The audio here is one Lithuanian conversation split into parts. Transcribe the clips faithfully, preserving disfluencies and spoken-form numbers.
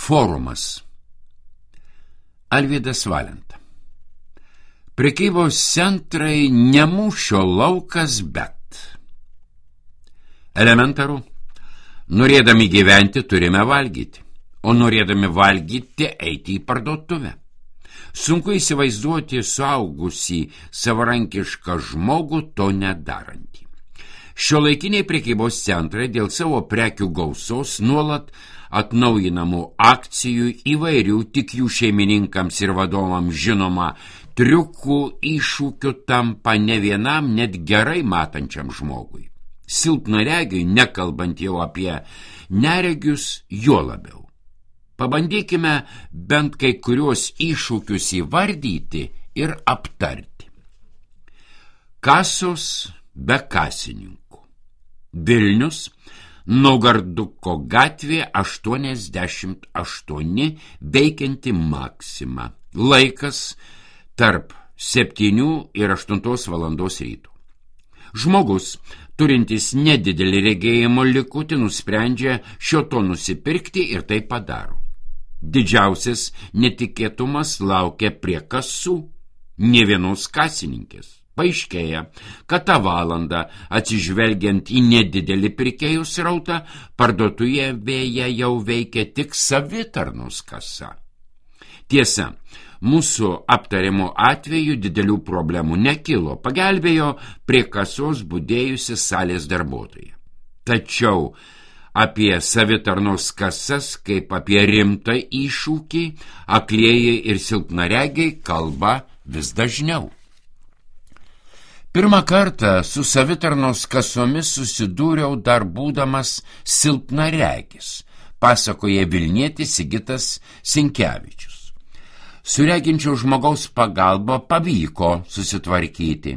Forumas. Alvydas Valenta. Prekybos centrai ne mūšio laukas, bet. Elementaru. Norėdami gyventi turime valgyti, o norėdami valgyti eiti į parduotuvę. Sunku įsivaizduoti suaugusį savarankišką žmogų to nedarantį. Šiuolaikiniai prekybos centrai dėl savo prekių gausos nuolat atnaujinamų akcijų, įvairių tik jų šeimininkams ir vadovams žinoma triukų, iššūkių tampa ne vienam net gerai matančiam žmogui. Silpnaregiui, nekalbant jau apie neregius, juo labiau. Pabandykime bent kai kuriuos iššūkius įvardyti ir aptarti. Kasos be kasininkų. Vilnius, Naugarduko gatvė aštuoniasdešimt aštuoni, veikianti Maxima. Laikas tarp septynių ir aštuntos valandos ryto. Žmogus, turintis nedidelį regėjimo likutį, nusprendžia šio to nusipirkti ir tai padaro. Didžiausias netikėtumas laukia prie kasų, nė vienos kasininkės. Paaiškėja, kad tą valandą, atsižvelgiant į nedidelį pirkėjų srautą, parduotuvėje jau veikia tik savitarnos kasa. Tiesa, mūsų aptariamo atveju didelių problemų nekilo, pagelbėjo prie kasos budėjusi salės darbuotoja. Tačiau apie savitarnos kasas, kaip apie rimtą iššūkį, aklieji ir silpnaregiai kalba vis dažniau. Pirmą kartą su savitarnos kasomis susidūriau dar būdamas silpnaregis, pasakoja Vilnietis Sigitas Sinkevičius. Su reginčio žmogaus pagalba pavyko susitvarkyti.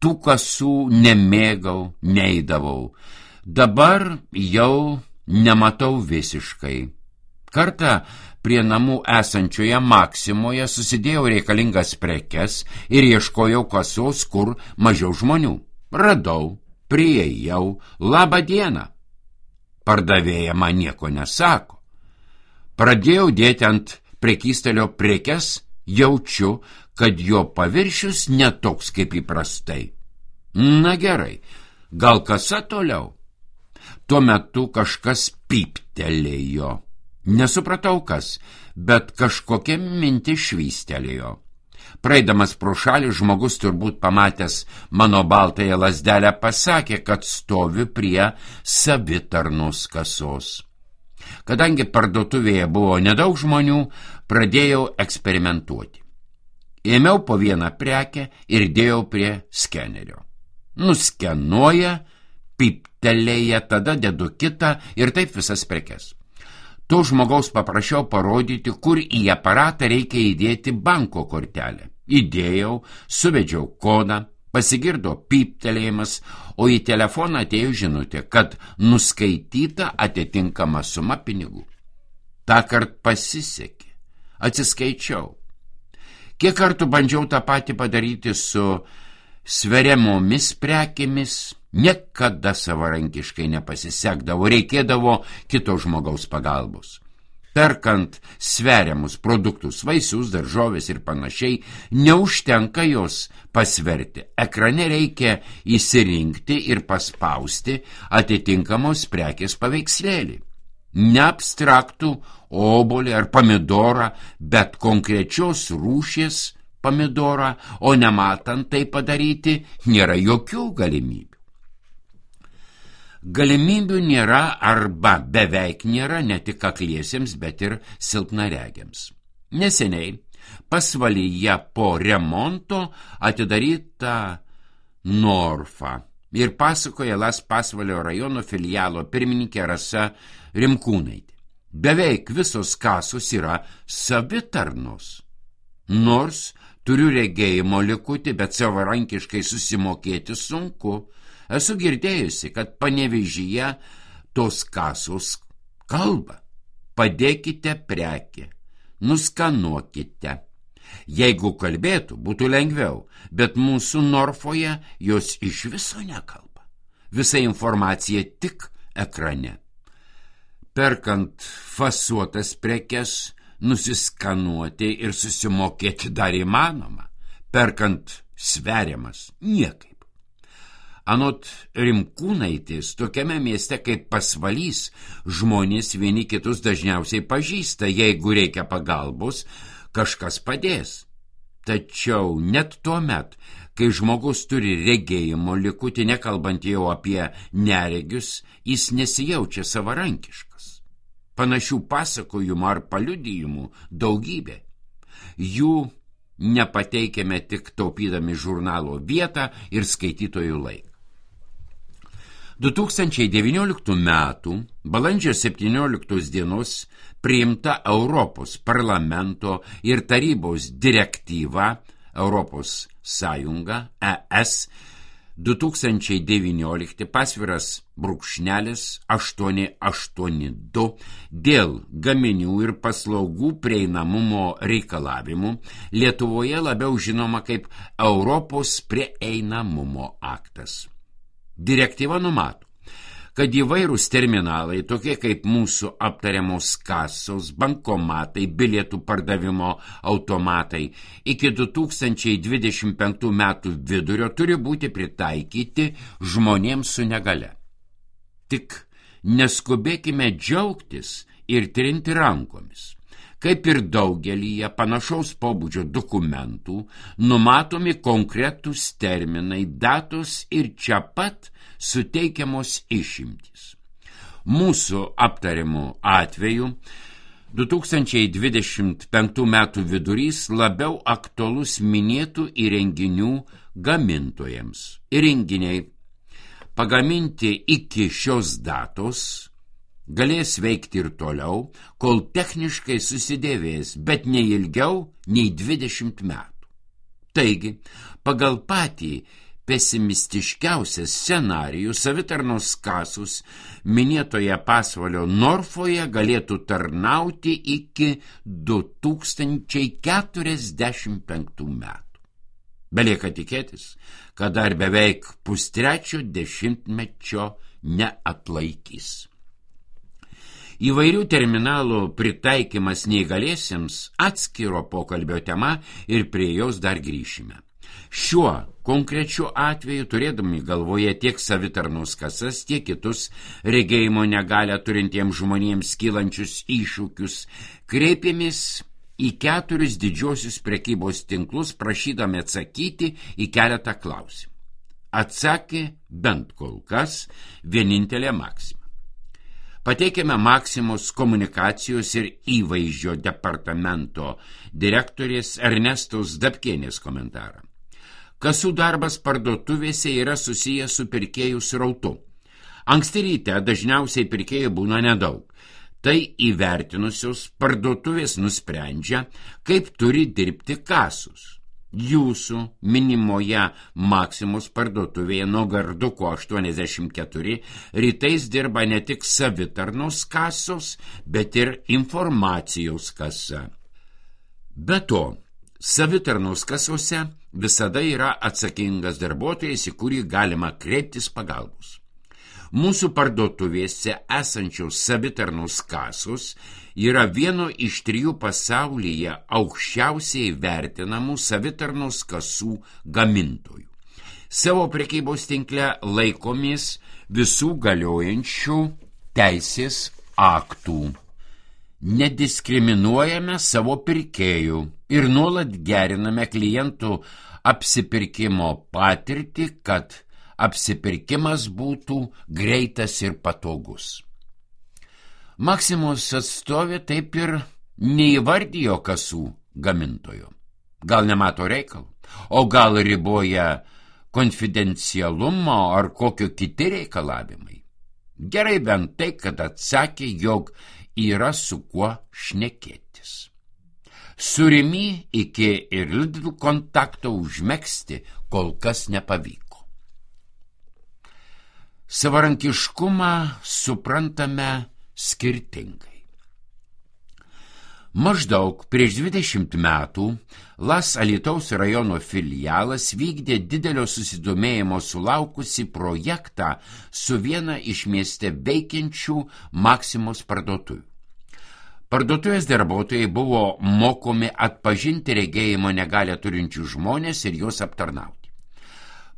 Tų kasų nemėgau, neidavau. Dabar jau nematau visiškai. Kartą prie namų esančioje Maximoje susidėjau reikalingas prekes ir ieškojau kasos, kur mažiau žmonių. Radau, priėjau, labą dieną. Pardavėja man nieko nesako. Pradėjau dėti ant prekystalio prekes, jaučiu, kad jo paviršius netoks kaip įprastai. Na gerai, gal kasa toliau? Tuo metu kažkas pyptelėjo. Nesupratau kas, bet kažkokia mintis švystelėjo. Praeidamas pro šalį žmogus turbūt pamatęs mano baltąją lazdelę pasakė, kad stoviu prie savitarnos kasos. Kadangi parduotuvėje buvo nedaug žmonių, pradėjau eksperimentuoti. Ėmiau po vieną prekę ir dėjau prie skenerio. Nuskenuoja, pyptelėja, tada dedu kitą ir taip visas prekes. To žmogaus paprašiau parodyti, kur į aparatą reikia įdėti banko kortelę. Įdėjau, suvedžiau kodą, pasigirdo pyptelėjimas, o į telefoną atėjo žinutė, kad nuskaityta atitinkama suma pinigų. Tąkart pasisekė. Atsiskaičiau. Kiek kartų bandžiau tą patį padaryti su sveriamomis prekėmis, niekada savarankiškai nepasisekdavo, reikėdavo kito žmogaus pagalbos. Perkant sveriamus produktus, vaisius, daržovės ir panašiai, neužtenka jos pasverti. Ekrane reikia įsirinkti ir paspausti atitinkamos prekės paveikslėlį. Ne abstraktų obuolį ar pomidorą, bet konkrečios rūšies pomidorą, o nematant tai padaryti, nėra jokių galimybių. Galimybių nėra arba beveik nėra ne tik akliesiems, bet ir silpnaregiams. Neseniai pasvalyje po remonto atidaryta Norfa ir pasakoja Las Pasvalio rajono filialo pirmininkė Rasa Rimkūnaitė. Beveik visos kasos yra savitarnos. Nors turiu regėjimo likutį, bet savarankiškai susimokėti sunku. Esu girdėjusi, kad Panevėžyje tos kasos kalba. Padėkite prekę, nuskanuokite. Jeigu kalbėtų, būtų lengviau, bet mūsų Norfoje jos iš viso nekalba. Visa informacija tik ekrane. perkant fasuotas prekes, nusiskanuoti ir susimokėti dar įmanoma, perkant sveriamas niekaip. Anot Rimkūnaitės, tokiame mieste kaip Pasvalys žmonės vieni kitus dažniausiai pažįsta, jeigu reikia pagalbos, kažkas padės. Tačiau net tuo met, kai žmogus turi regėjimo likutį, nekalbant jau apie neregius, jis nesijaučia savarankiškas. Panašių pasakojimų ar paliudijimų daugybė. Jų nepateikėme tik taupydami žurnalo vietą ir skaitytojų laiką. du tūkstančiai devynioliktų metų balandžio septynioliktos dienos priimta Europos parlamento ir tarybos direktyva Europos Sąjunga E S du tūkstančiai devyniolikti pasviras brūkšnelis aštuoni aštuoni du dėl gaminių ir paslaugų prieinamumo reikalavimų, Lietuvoje labiau žinoma kaip Europos prieinamumo aktas. Direktyva numato, kad įvairūs terminalai, tokie kaip mūsų aptariamos kasos, bankomatai, bilietų pardavimo automatai, iki du tūkstančiai dvidešimt penktų metų vidurio turi būti pritaikyti žmonėms su negalia. Tik neskubėkime džiaugtis ir trinti rankomis. Kaip ir daugelyje panašaus pobūdžio dokumentų, numatomi konkretūs terminai, datos ir čia pat suteikiamos išimtys. Mūsų aptariamų atveju du tūkstančiai dvidešimt penktų metų vidurys labiau aktualus minėtų įrenginių gamintojams. Įrenginiai pagaminti iki šios datos galės veikti ir toliau, kol techniškai susidėvės, bet ne ilgiau nei dvidešimt metų. Taigi, pagal patį pesimistiškiausią scenarijų savitarnos kasos minėtoje Pasvalio Norfoje galėtų tarnauti iki du tūkstančiai keturiasdešimt penktų metų. Belieka tikėtis, kad dar beveik pustrečio dešimtmečio neatlaikys. Įvairių terminalų pritaikymas neįgaliesiems atskiro pokalbio tema ir prie jos dar grįšime. Šiuo konkrečiu atveju, turėdami galvoje tiek savitarnos kasas, tiek kitus regėjimo negalią turintiems žmonėms kylančius iššūkius, kreipėmės į keturis didžiosius prekybos tinklus, prašydami atsakyti į keletą klausimų. Atsakė bent kol kas vienintelė Maxima. Pateikėme Maximos komunikacijos ir įvaizdžio departamento direktorės Ernestos Dapkienės komentarą. Kasų darbas parduotuvėse yra susijęs su pirkėjų srautu. Anksti ryte dažniausiai pirkėjų būna nedaug. Tai įvertinusios parduotuvės nusprendžia, kaip turi dirbti kasos. Jūsų minimoje Maximos parduotuvėje nuo Garduko aštuoniasdešimt keturi rytais dirba ne tik savitarnos kasos, bet ir informacijos kasa. Be to, savitarnos kasose visada yra atsakingas darbuotojas, į kurį galima kreiptis pagalbos. Mūsų parduotuvėse esančios savitarnos kasos yra vieno iš trijų pasaulyje aukščiausiai vertinamų savitarnos kasų gamintojų. Savo prekybos tinkle laikomės visų galiojančių teisės aktų. Nediskriminuojame savo pirkėjų ir nuolat geriname klientų apsipirkimo patirtį, kad apsipirkimas būtų greitas ir patogus. Maximos atstovė taip ir neįvardijo kasų gamintojo. Gal nemato reikalų, o gal riboja konfidencialumo ar kokio kiti reikalavimai. Gerai bent tai, kad atsakė, jog yra su kuo šnekėtis. Su Rimi iki ir Lidl kontakto užmegzti kol kas nepavyko. Savarankiškumą suprantame skirtingai. Maždaug prieš dvidešimt metų Las Alytaus rajono filialas vykdė didelio susidomėjimo sulaukusi projektą su viena iš mieste veikiančių Maksimos parduotuvių. Parduotuvės darbuotojai buvo mokomi atpažinti regėjimo negalią turinčių žmonės ir juos aptarnauti.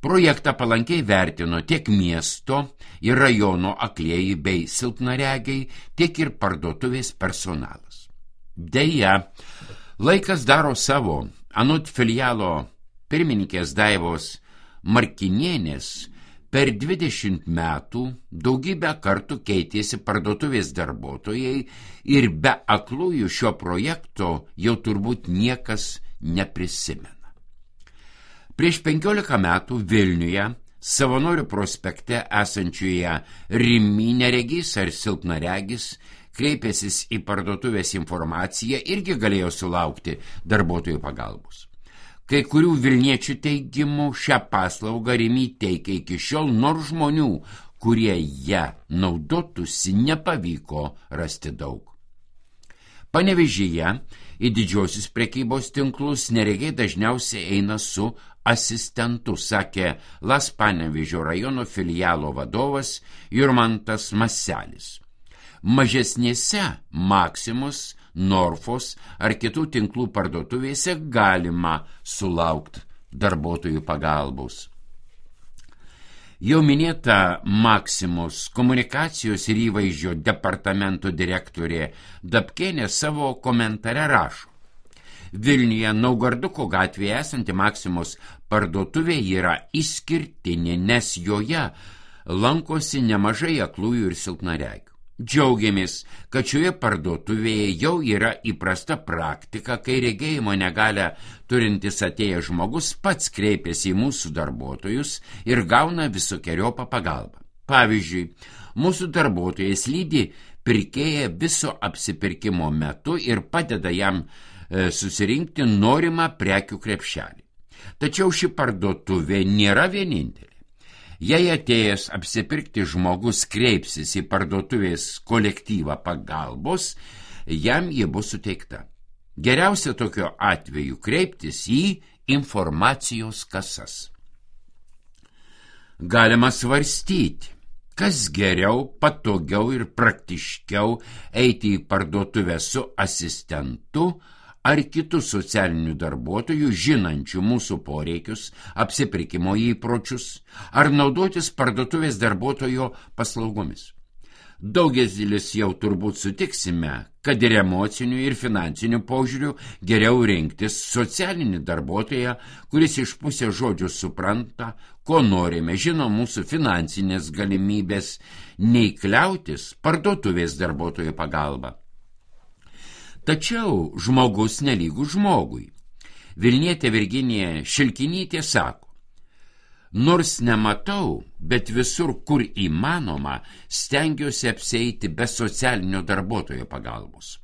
Projektą palankiai vertino tiek miesto ir rajono aklieji bei silpnaregiai, tiek ir parduotuvės personalas. Deja, laikas daro savo. Anot filialo pirmininkės Daivos Markinienės, per dvidešimt metų daugybę kartų keitėsi parduotuvės darbuotojai ir be aklųjų šio projekto jau turbūt niekas neprisimena. Prieš penkiolika metų Vilniuje, Savanorių prospekte esančioje Rimi neregys ar silpnaregis, kreipęsis į parduotuvės informaciją, irgi galėjo sulaukti darbuotojų pagalbos. Kai kurių vilniečių teigimų šią paslaugą Rimi teikia iki šiol, nors žmonių, kurie ją naudotųsi, nepavyko rasti daug. Panevėžyje į didžiosius prekybos tinklus neregiai dažniausiai eina su asistentu, sakė Las Panevėžio rajono filialo vadovas Jurmantas Maselis. Mažesnėse Maksimos, Norfos ar kitų tinklų parduotuvėse galima sulaukti darbuotojų pagalbos. Jau minėta Maksimos komunikacijos ir įvaizdžio departamento direktorė Dapkienė savo komentare rašo: Vilniuje Naugarduko gatvėje esanti Maksimos parduotuvė yra išskirtinė, nes joje lankosi nemažai aklųjų ir silpnaregių. Džiaugiamės, kad šioje parduotuvėje jau yra įprasta praktika, kai regėjimo negalią turintis atėjęs žmogus pats kreipiasi į mūsų darbuotojus ir gauna visokeriopą pagalbą. Pavyzdžiui, mūsų darbuotojas lydi pirkėją viso apsipirkimo metu ir padeda jam e, susirinkti norimą prekių krepšelį. Tačiau ši parduotuvė nėra vienintelė. Jei atėjęs apsipirkti žmogus kreipsis į parduotuvės kolektyvą pagalbos, jam ji bus suteikta. Geriausia tokiu atveju kreiptis į informacijos kasas. Galima svarstyti, kas geriau, patogiau ir praktiškiau eiti į parduotuvę su asistentu ar kitų socialinių darbuotojų, žinančių mūsų poreikius, apsipirkimo įpročius, ar naudotis parduotuvės darbuotojo paslaugomis. Daugelis jau turbūt sutiksime, kad ir emocinių ir finansinių požiūrių geriau rinktis socialinį darbuotoją, kuris iš pusės žodžių supranta, ko norime, žino mūsų finansinės galimybės, nei kliautis parduotuvės darbuotojo pagalba. Tačiau žmogus nelygų žmogui. Vilnietė Virginija Šilkinytė sako: nors nematau, bet visur, kur įmanoma, stengiuosi apsieiti be socialinio darbuotojo pagalbos.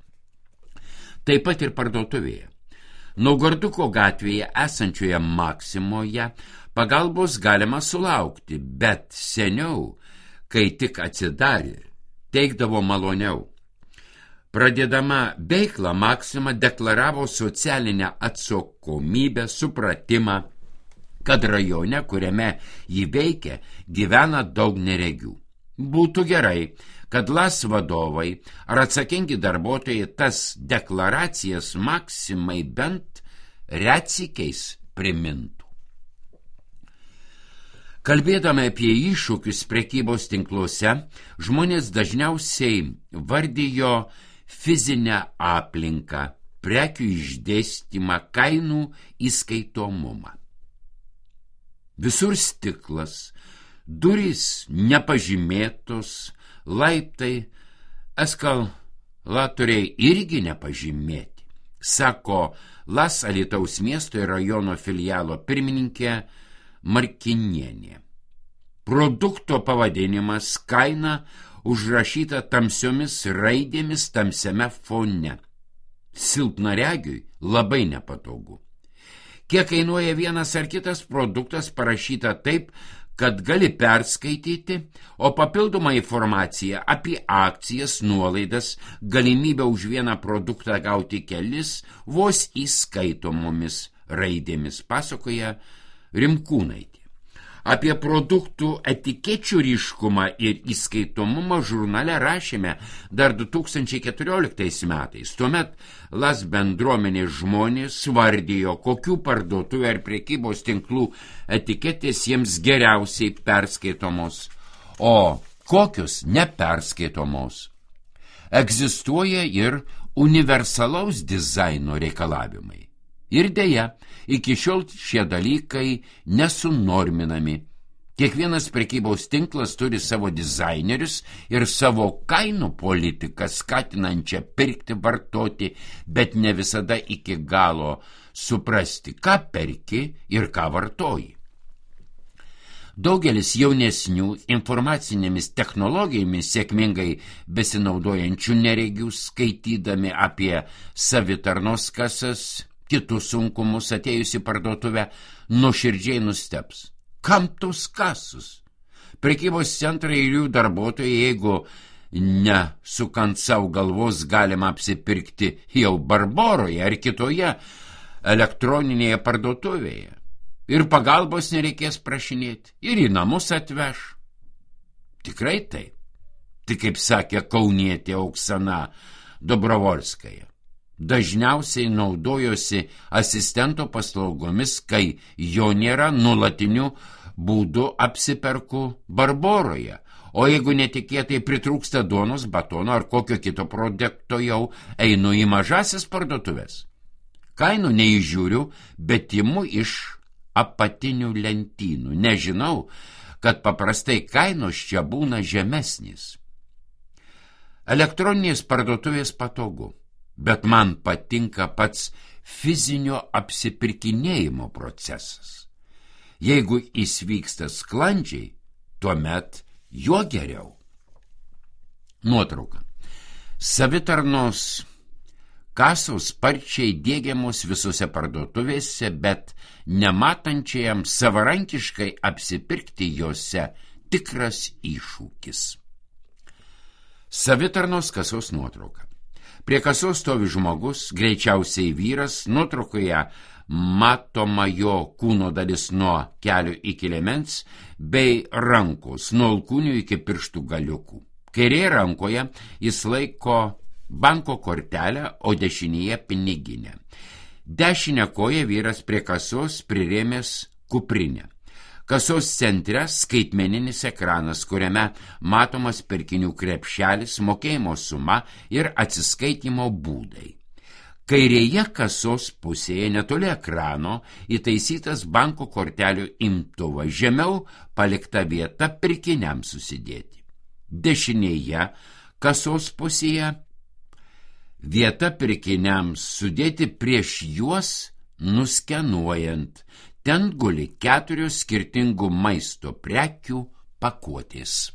Taip pat ir parduotuvėje. Naugarduko gatvėje esančioje Maksimoje pagalbos galima sulaukti, bet seniau, kai tik atsidarė, teikdavo maloniau. Pradėdama veiklą, Maksima deklaravo socialinę atsakomybę, supratimą, kad rajone, kuriame jį veikia, gyvena daug neregių. Būtų gerai, kad Las vadovai ar atsakingi darbuotojai tas deklaracijas Maksimai bent retsykiais primintų. Kalbėdami apie iššūkius prekybos tinkluose, žmonės dažniausiai vardijo fizinę aplinką, prekių išdėstymą, kainų įskaitomumą. Visur stiklas, durys nepažymėtos, laiptai, eskalatoriai irgi nepažymėti, sako Las Alytaus miesto ir rajono filialo pirmininkė Markinienė. Produkto pavadinimas, kaina užrašyta tamsiomis raidėmis tamsiame fone. Silpnaregiui labai nepatogu. Kiek kainuoja vienas ar kitas produktas, parašyta taip, kad gali perskaityti, o papildoma informacija apie akcijas, nuolaidas, galimybę už vieną produktą gauti kelis vos įskaitomomis raidėmis, pasakoja Rimkūnaitė. Apie produktų etikečių ryškumą ir įskaitomumą žurnale rašėme dar du tūkstančiai keturioliktais metais. Tuomet Las bendruomenės žmonės vardijo, kokių parduotuvių ar prekybos tinklų etiketės jiems geriausiai perskaitomos, o kokios neperskaitomos. Egzistuoja ir universalaus dizaino reikalavimai. Ir deja, iki šiol šie dalykai nesunorminami. Kiekvienas prekybos tinklas turi savo dizainerius ir savo kainų politiką skatinančią pirkti, vartoti, bet ne visada iki galo suprasti, ką perki ir ką vartoji. Daugelis jaunesnių informacinėmis technologijomis sėkmingai besinaudojančių neregių, skaitydami apie savitarnos kasas, kitus sunkumus atėjusi parduotuvę, nuoširdžiai nustebs. Kam tos kasus? Prekybos centrai ir jų darbuotojai, jeigu nesukant savo galvos, galima apsipirkti jau Barboroje ar kitoje elektroninėje parduotuvėje. Ir pagalbos nereikės prašinėti, ir į namus atveš. Tikrai taip. Tik kaip sakė kaunietė Oksana Dobrovolskaja. Dažniausiai naudojosi asistento paslaugomis, kai jo nėra, nuolatiniu būdu apsiperku Barboroje. O jeigu netikėtai pritrūksta duonos, batono ar kokio kito produkto, jau einu į mažasis parduotuvės. Kainų neįžiūriu, bet imu iš apatinių lentynų. Nežinau, kad paprastai kainos čia būna žemesnės. Elektroninės parduotuvės patogu. Bet man patinka pats fizinio apsipirkinėjimo procesas. Jeigu jis vyksta sklandžiai, tuomet juo geriau. Nuotrauka. Savitarnos kasos sparčiai diegiamos visose parduotuvėse, bet nematančiajam savarankiškai apsipirkti jose tikras iššūkis. Savitarnos kasos nuotrauka. Prie kasos stovi žmogus, greičiausiai vyras, nuotraukoje matoma jo kūno dalis nuo kelių iki liemens, bei rankos nuo alkūnių iki pirštų galiukų. Kairėje rankoje jis laiko banko kortelę, o dešinėje piniginę. Dešinę koją vyras prie kasos prirėmęs kuprinę. Kasos centre skaitmeninis ekranas, kuriame matomas pirkinių krepšelis, mokėjimo suma ir atsiskaitimo būdai. Kairėje kasos pusėje netoli ekrano įtaisytas banko kortelių imtuvas, žemiau palikta vieta pirkiniams susidėti. Dešinėje kasos pusėje vieta pirkiniams sudėti prieš juos nuskenuojant. Ten guli keturios skirtingų maisto prekių pakuotės.